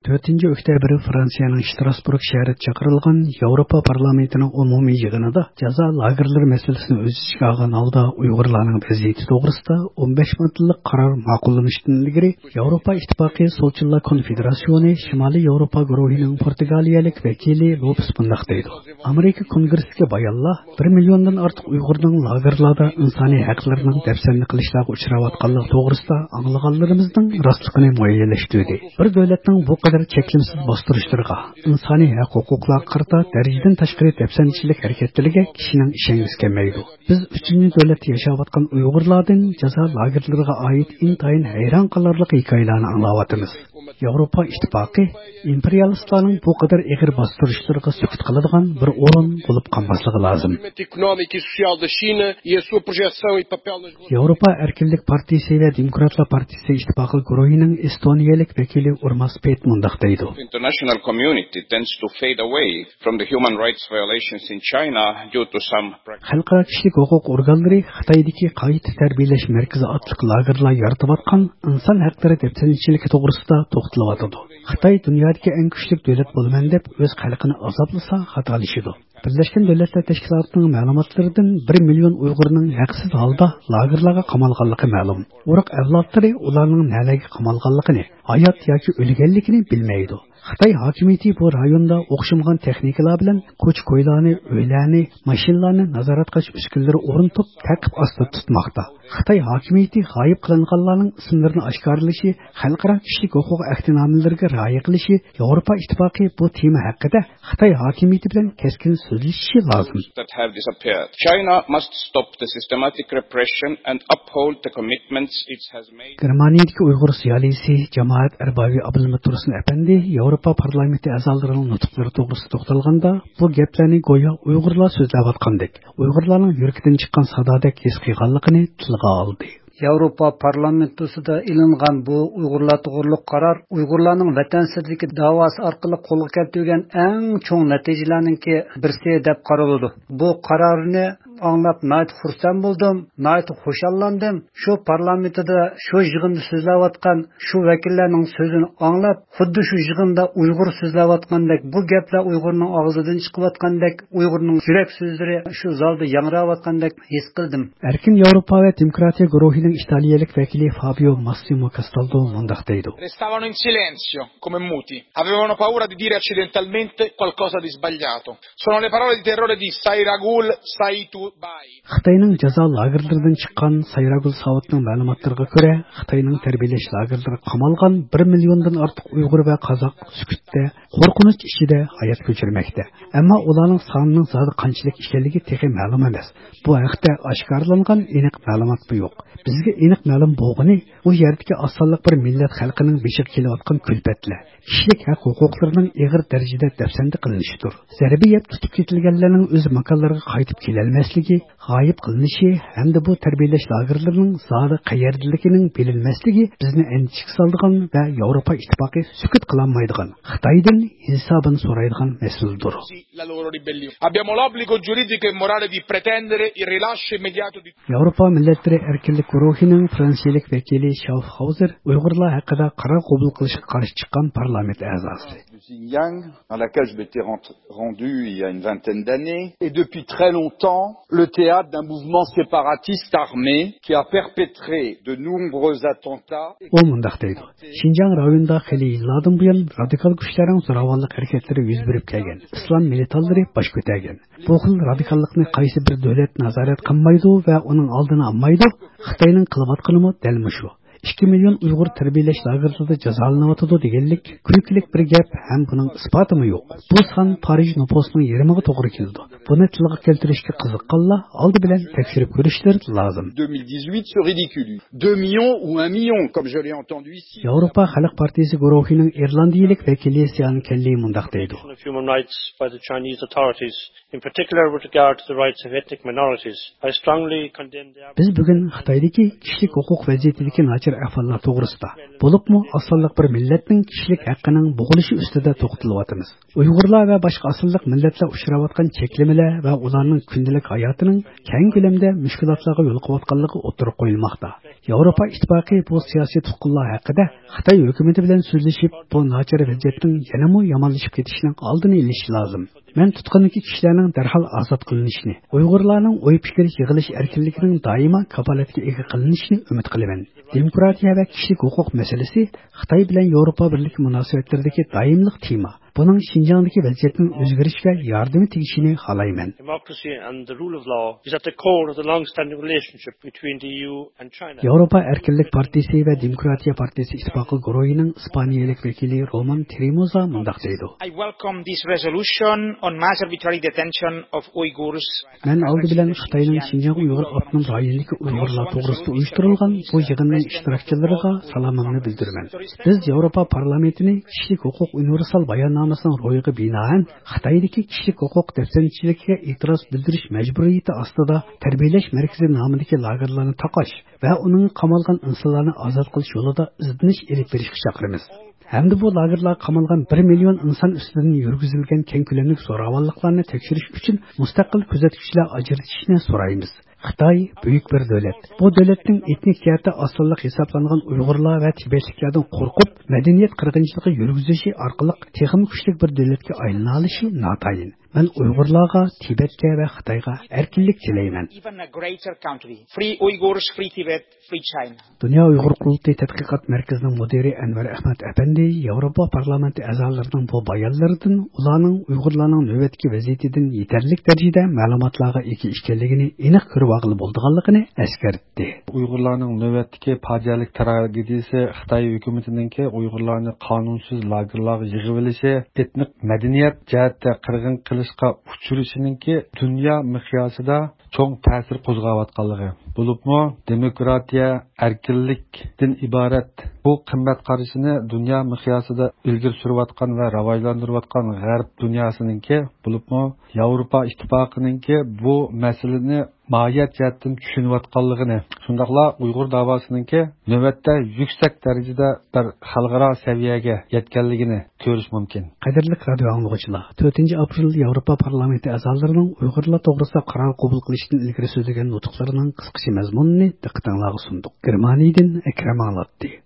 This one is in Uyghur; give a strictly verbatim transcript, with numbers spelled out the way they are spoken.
تۆتىنچى ئۆكتەبىر فرانسىيەنىڭ شتراسبۇرگ شەھىرىدە چاقىرىلغان ياۋروپا پارلامېنتىنىڭ ئومۇمىي يىغىنىدا جازا لاگېرلىرى مەسىلىسىنى ئۆز ئىچىگە ئالغان ھالدا ئۇيغۇرلارنىڭ ۋەزىيىتى توغرىسىدا ئون بەش ماددىلىق قارار ماقۇللىنىشتىن ئىلگىرى، ياۋروپا ئىتتىپاقى سولچىللار كونفېدېراتسىيونى شىمالىي ياۋروپا گۇرۇھىنىڭ پورتۇگالىيەلىك ۋەكىلى لوپېس مۇنداق دەيدۇ: ئامېرىكا كونگرېسسىدىكى بايانلار بىر مىليوندىن ئارتۇق ئۇيغۇرنىڭ لاگېرلاردا ئىنسانىي ھەقلىرىنىڭ دەپسەندە قىلىشلارغا ئۇچراۋاتقانلىقى توغرىسىدا ئاڭلىغانلىرىمىزنىڭ راستلىقىنى مۇئەييەنلەشتۈردى. بىر دۆلەتنىڭ بۇ قەدەر چەكلىمىسىز باستۇرۇشلىرىغا، ئىنسانىي ھەق ھوقۇقلارغا قارىتا دەرىجىدىن تاشقىرى دەپسەندىچىلىك ھەرىكەتلىرىگە كىشىنىڭ ئىشەنگۈسى كەلمەيدۇ. بىز ئۈچىنچى دۆلەتتە ياشاۋاتقان ئۇيغۇرلاردىن جازا لاگېرلىرىغا ئائىت ئىنتايىن ھەيران قالارلىق ھېكايىلەرنى ئاڭلاۋاتىمىز. ياۋروپا ئىتتىپاقى ئىمپېرىيالىستلارنىڭ بۇ قەدەر ئېغىر باستۇرۇشلىرىغا سۈكۈت قىلىدىغان بىر ئورۇن بولۇپ قالماسلىقى لازىم. Económica e social da China e a sua projeção e papel nas ياۋروپا ئەركىنلىك پارتىيىسى ۋە دېموكراتلار پارتىيىسى ئىتتىپاقى گۇرۇھىنىڭ ئېستونىيەلىك ۋەكىلى ئۇرماس پېيت مۇنداق دەيدۇ. International community tends to fade away from the human rights violations in China due to some خەلقئارا كىشىلىك ھوقۇق ئورگانلىرى خىتايدىكى قايتا تەربىيەلەش مەركىزى ئاتلىق لاگېرلار يارىتىۋاتقان ئىنسان ھەقلىرى دەپسەندىچىلىكى توغرىسىدا توختىلىۋاتىدۇ. خىتاي دۇنيادىكى ئەڭ كۈچلۈك دۆلەت بولىمەن دەپ ئۆز خەلقىنى ئازابلىسا خاتالىشىدۇ. بىرلەشكەن دۆلەتلەر تەشكىلاتىنىڭ مەلۇماتلىرىدىن بىر مىليون ئۇيغۇرنىڭ ھەقسىز ھالدا لاگېرلارغا قامالغانلىقى مەلۇم. ئۇرۇق ئەۋلادلىرى ئۇلارنىڭ نەلەرگە قامالغانلىقىنى، ھايات ياكى ئۆلگەنلىكىنى بىلمەيدۇ. خىتاي ھاكىمىيىتى بۇ رايوندا ئوخشىمىغان تېخنىكىلار بىلەن كوچا-كويلارنى، ئۆيلەرنى، ماشىنىلارنى نازارەت قىلىش ئۈسكۈنىلىرى ئورنىتىپ، تەقىپ ئاستىدا تۇتماقتا. خىتاي ھاكىمىيىتى غايىب قىلىنغانلارنىڭ ئىسىملىرىنى ئاشكارىلىشى، خەلقئارا كىشىلىك ھوقۇق ئەھدىنامىلىرىگە رىئايە قىلىشى، ياۋروپا ئىتتىپاقى بۇ تېما ھەققىدە خىتاي ھاكىمىيىتى بىلەن كەسكىن سۆزلىشىشى لازىم. That have disappeared. China must stop the systematic repression and uphold the commitments it has made. گېرمانىيەدىكى ئۇيغۇر زىيالىيسى، جامائەت ئەربابى ئابلىمىت تۇرسۇن ئەپەندى ياۋروپا پارلامېنتى ئەزالىرىنىڭ نۇتۇقلىرى توغرىسىدا توختالغاندا، بۇ گەپلەرنى گويا ئۇيغۇرلار سۆزلەۋاتقاندەك، ئۇيغۇرلارنىڭ يۈرىكىدىن چىققان سادادەك ھېس قىلغانلىقىنى تىلغا ئالدى. ياۋروپا پارلامېنتوسىدا ئېلىنغان بۇ ئۇيغۇرلار توغرۇلۇق قارار ئۇيغۇرلارنىڭ ۋەتەن سىرتىدىكى داۋاسى ئارقىلىق قولغا كەلتۈرگەن ئەڭ چوڭ نەتىجىلەرنىڭكى بىرسى دەپ قارىلىدۇ. بۇ قارارنى ئاڭلاپ ناھايىتى خۇرسەن بولدۇم، ناھايىتى خۇشاللاندىم. شۇ پارلامېنتىدا شۇ يىغىندا سۆزلەۋاتقان شۇ ۋەكىللەرنىڭ سۆزىنى ئاڭلاپ، خۇددى شۇ يىغىندا ئۇيغۇر سۆزلەۋاتقاندەك، بۇ گەپلەر ئۇيغۇرنىڭ ئاغزىدىن چىقىۋاتقاندەك، ئۇيغۇرنىڭ يۈرەك سۆزلىرى شۇ زالدا ياڭراۋاتقاندەك ھېس قىلدىم. ئەركىن ياۋروپا ۋە دېموكراتىيە گۇرۇھىنىڭ ئىتالىيەلىك ۋەكىلى فابىيو ماسسىمو كاستالدو مۇنداق دەيدۇ. Restavano in silenzio, come muti. Avevano paura di dire accidentalmente qualcosa di sbagliato. Sono le parole di terrore di Sairagul Saitu Bai. خىتاينىڭ جازا لاگېرلىرىدىن چىققان سايراگۈل ساۋۇتنىڭ مەلۇماتلىرىغا كۆرە، خىتاينىڭ تەربىيەلەش لاگېرلىرىغا قامالغان بىر مىليوندىن ئارتۇق ئۇيغۇر ۋە قازاق سۈكۈتتە، قورقۇنچ ئىچىدە ھايات كەچۈرمەكتە. ئەمما ئۇلارنىڭ سانىنىڭ زادى قانچىلىك ئىكەنلىكى تېخى مەلۇم ئەمەس. بۇ ھەقتە ئاشكارىلانغان ئېنىق مەلۇماتمۇ يوق. بىزگە ئېنىق مەلۇم بولغىنى، ئۇ يەردىكى ئاز سانلىق بىر مىللەت خەلقىنىڭ بېشىغا كېلىۋاتقان كۈلپەتلەر، كىشىلىك ھەق ھوقۇقلىرىنىڭ ئېغىر دەرىجىدە دەپسەندە قىلىنىشىدۇر. زەربە يەپ تۇتۇپ كېتىلگەنلەرنىڭ ئۆز ماكانلىرىغا قايتىپ كېلەلمەسلىكى، غايىب قىلىنىشى ھەمدە بۇ تەربىيەلەش لاگېرلىرىنىڭ زادى قەيەردىلىكىنىڭ بىلىنمەسلىكى بىزنى ئەندىشىگە سالىدىغان ۋە ياۋروپا ئىتتىپاقى سۈكۈت قىلالمايدىغان، خىتايدىن ھېسابىنى سورايدىغان مەسىلىدۇر. La loro ribellione. Abbiamo l'obbligo giuridico e morale di pretendere il rilascio immediato di ياۋروپا مىللەتلىرى ئەركىنلىك گۇرۇھىنىڭ فرانسىيەلىك ۋەكىلى شاۋفخاۋزېر ئۇيغۇرلار ھەققىدە قارار قوبۇل قىلىشقا قارشى چىققان پارلامېنت ئەزاسى. Xinjiang, dans laquelle je m'étais rend-, rendu il y a une vingtaine d'années, est depuis très longtemps le théâtre d'un mouvement séparatiste armé qui a perpétré de nombreux attentats. ئۇ مۇنداق دەيدۇ: شىنجاڭ رايونىدا خېلى يىللاردىن بۇيان رادىكال كۈچلەرنىڭ زوراۋانلىق ھەرىكەتلىرى يۈز بېرىپ كەلگەن، ئىسلام مىلىتانلىرى باش كۆتەرگەن. بۇ خىل رادىكاللىقنى قايسى بىر دۆلەت نازارەت قىلمايدۇ ۋە ئۇنىڭ ئالدىنى ئالمايدۇ؟ خىتاينىڭ قىلىۋاتقىنىمۇ دەل مۇشۇ. ئىككى مىليون ئۇيغۇر تەربىيەلەش لاگېرلىرىدا جازالىنىۋاتىدۇ دېگەنلىك كۈلكىلىك بىر گەپ ھەم بۇنىڭ ئىسپاتىمۇ يوق. بۇ سان پارىژ نوپۇسىنىڭ يېرىمىغا توغرا كېلىدۇ. بۇنى تىلغا كەلتۈرۈشكە قىزىققانلار ئالدى بىلەن تەكشۈرۈپ كۆرۈشلىرى لازىم. deux mille dix-huit se ridiculise. Deux millions ou un million, comme je l'ai entendu ici. ياۋروپا خەلق پارتىيىسى گۇرۇھىنىڭ ئىرلاندىيىلىك ۋەكىلى سىئان كەللى مۇنداق دەيدۇ. Of human rights by the Chinese authorities, in particular with regard to the rights of ethnic minorities. I strongly condemn the بىز بۈگۈن خىتايدىكى كىشىلىك ھوقۇق ۋەزىيىتىدىكى ناچار ئەھۋاللار توغرىسىدا، بولۇپمۇ ئاز سانلىق بىر مىللەتنىڭ كىشىلىك ھەققىنىڭ بوغۇلۇشى ئۈستىدە توختىلىۋاتىمىز. ئۇيغۇرلار ۋە باشقا ئاز سانلىق مىللەتلەر ئۇچراۋاتقان چەكلىمە ۋە ئۇلارنىڭ كۈندىلىك ھاياتىنىڭ كەڭ كۆلەمدە مۇشكۇلاتلارغا يولۇقۇۋاتقانلىقى ئوتتۇرىغا قويۇلماقتا. ياۋروپا ئىتتىپاقى بۇ سىياسىي تۇتقۇنلار ھەققىدە خىتاي ھۆكۈمىتى بىلەن سۆزلىشىپ، بۇ ناچار ۋەزىيەتنىڭ يەنىمۇ يامانلىشىپ كېتىشىنىڭ ئالدىنى ئېلىشى لازىم. مەن تۇتقۇندىكى كىشىلەرنىڭ دەرھال ئازاد قىلىنىشىنى، ئۇيغۇرلارنىڭ ئوي پىكىر يىغىلىش ئەركىنلىكىنىڭ دائىما كاپالەتكە ئىگە قىلىنىشىنى ئۈمىد قىلىمەن. دېموكراتىيە ۋە كىشىلىك ھوقۇق مەسىلىسى خىتاي بىلەن ياۋروپا بىرلىكى مۇناسىۋەتلىرىدىكى دائىملىق تېما. بۇنىڭ شىنجاڭدىكى ۋەزىيەتنىڭ ئۆزگىرىشىگە ياردىمى تېگىشىنى خالايمەن. Democracy and the rule of law is at the core of the long-standing relationship between the E U and China. ياۋروپا ئەركىنلىك پارتىيىسى ۋە دېموكراتىيە پارتىيىسى ئىتتىپاقى گۇرۇھىنىڭ ئىسپانىيەلىك ۋەكىلى رومان ترېموزا مۇنداق دەيدۇ. I welcome this resolution on mass arbitrary detention of Uyghurs. مەن ئالدى بىلەن خىتاينىڭ شىنجاڭ ئۇيغۇر ئاپتونوم رايونىدىكى ئۇيغۇرلار توغرىسىدا ئۇيۇشتۇرۇلغان بۇ يىغىننىڭ ئىشتىراكچىلىرىغا سالامىمنى بىلدۈرىمەن. بىز ياۋروپا پارلامېنتىنى كىشىلىك ھوقۇق ئۇنىۋېرسال باياننامىسىنىڭ روھىغا بىنائەن خىتايدىكى كىشىلىك ھوقۇق دەپسەندىچىلىكىگە ئېتىراز بىلدۈرۈش مەجبۇرىيىتى ئاستىدا تەربىيەلەش مەركىزى نامىدىكى لاگېرلارنى تاقاش ۋە ئۇنىڭغا قامالغان ئىنسانلارنى ئازاد قىلىش يولىدا ئىزدىنىش ئېلىپ بېرىشقا چاقىرىمىز. ھەمدە بۇ لاگېرلارغا قامالغان بىر مىليون ئىنسان ئۈستىدىن يۈرگۈزۈلگەن كەڭ كۆلەملىك زوراۋانلىقلارنى تەكشۈرۈش ئۈچۈن مۇستەقىل كۆزەتكۈچىلەر ئاجرىتىشنى سورايمىز. خىتاي بۈيۈك بىر دۆلەت. بۇ دۆلەتنىڭ ئېتنىك جەھەتتە ئاز سانلىق ھېسابلانغان ئۇيغۇرلار ۋە تىبەتلىكلەردىن قورقۇپ، مەدەنىيەت قىرغىنچىلىقى يۈرگۈزۈشى ئارقىلىق تېخىمۇ كۈچلۈك بىر دۆلەتكە ئايلىنالىشى ناتايىن. مەن ئۇيغۇرلارغا، تىبەتكە ۋە خىتايغا ئەركىنلىك تىلەيمەن. Even a greater country. Free Uyghurs, free Tibet, free China. دۇنيا ئۇيغۇر قۇرۇلتىيى تەتقىقات مەركىزىنىڭ مۇدىرى ئەنۋەر ئەخمەت ئەپەندى ياۋروپا پارلامېنتى ئەزالىرىنىڭ بۇ بايانلىرىدىن ئۇلارنىڭ ئۇيغۇرلارنىڭ نۆۋەتتىكى ۋەزىيىتىدىن يېتەرلىك دەرىجىدە مەلۇماتلارغا ئىگە ئىكەنلىكىنى ئېنىق كۆرۈۋالغىلى بولىدىغانلىقىنى ئەسكەرتتى. ئۇيغۇرلارنىڭ نۆۋەتتىكى پاجىئەلىك تراگېدىيىسى خىتاي ھۆكۈمىتىنىڭكى ئۇيغۇرلارنى قانۇنسىز لاگېرلارغا يىغىۋېلىشى، ئېتنىك مەدەنىيەت جەھەتتە قىرغىن قىلىشقا ئۇچرىشىنىڭكى دۇنيا مىقياسىدا چوڭ تەسىر قوزغاۋاتقانلىقى، بولۇپمۇ دېموكراتىيە، ئەركىنلىكتىن ئىبارەت بۇ قىممەت قارىشىنى دۇنيا مىقياسىدا ئىلگىرى سۈرۈۋاتقان ۋە راۋاجلاندۇرۇۋاتقان غەرب دۇنياسىنىڭكى، بولۇپمۇ ياۋروپا ئىتتىپاقىنىڭكى بۇ مەسىلىنى ماھىيەت جەھەتتىن چۈشىنىۋاتقانلىقىنى، شۇنداقلا ئۇيغۇر داۋاسىنىڭكى نۆۋەتتە يۈكسەك دەرىجىدە بىر خەلقئارا سەۋىيەگە يەتكەنلىكىنى كۆرۈش مۇمكىن. قەدىرلىك رادىئو ئاڭلىغۇچىلار، تۆتىنچى ئاپرېل ياۋروپا پارلامېنتى ئەزالىرىنىڭ ئۇيغۇرلار توغرىسىدا قارار قوبۇل قىلىشتىن ئىلگىرى سۆزلىگەن نۇتۇقلىرىنىڭ قىسقىچە مەزمۇنىنى دىققىتىڭلارغا سۇندۇق. گېرمانىيىدىن ئەكرەم ئاڭلاتتى.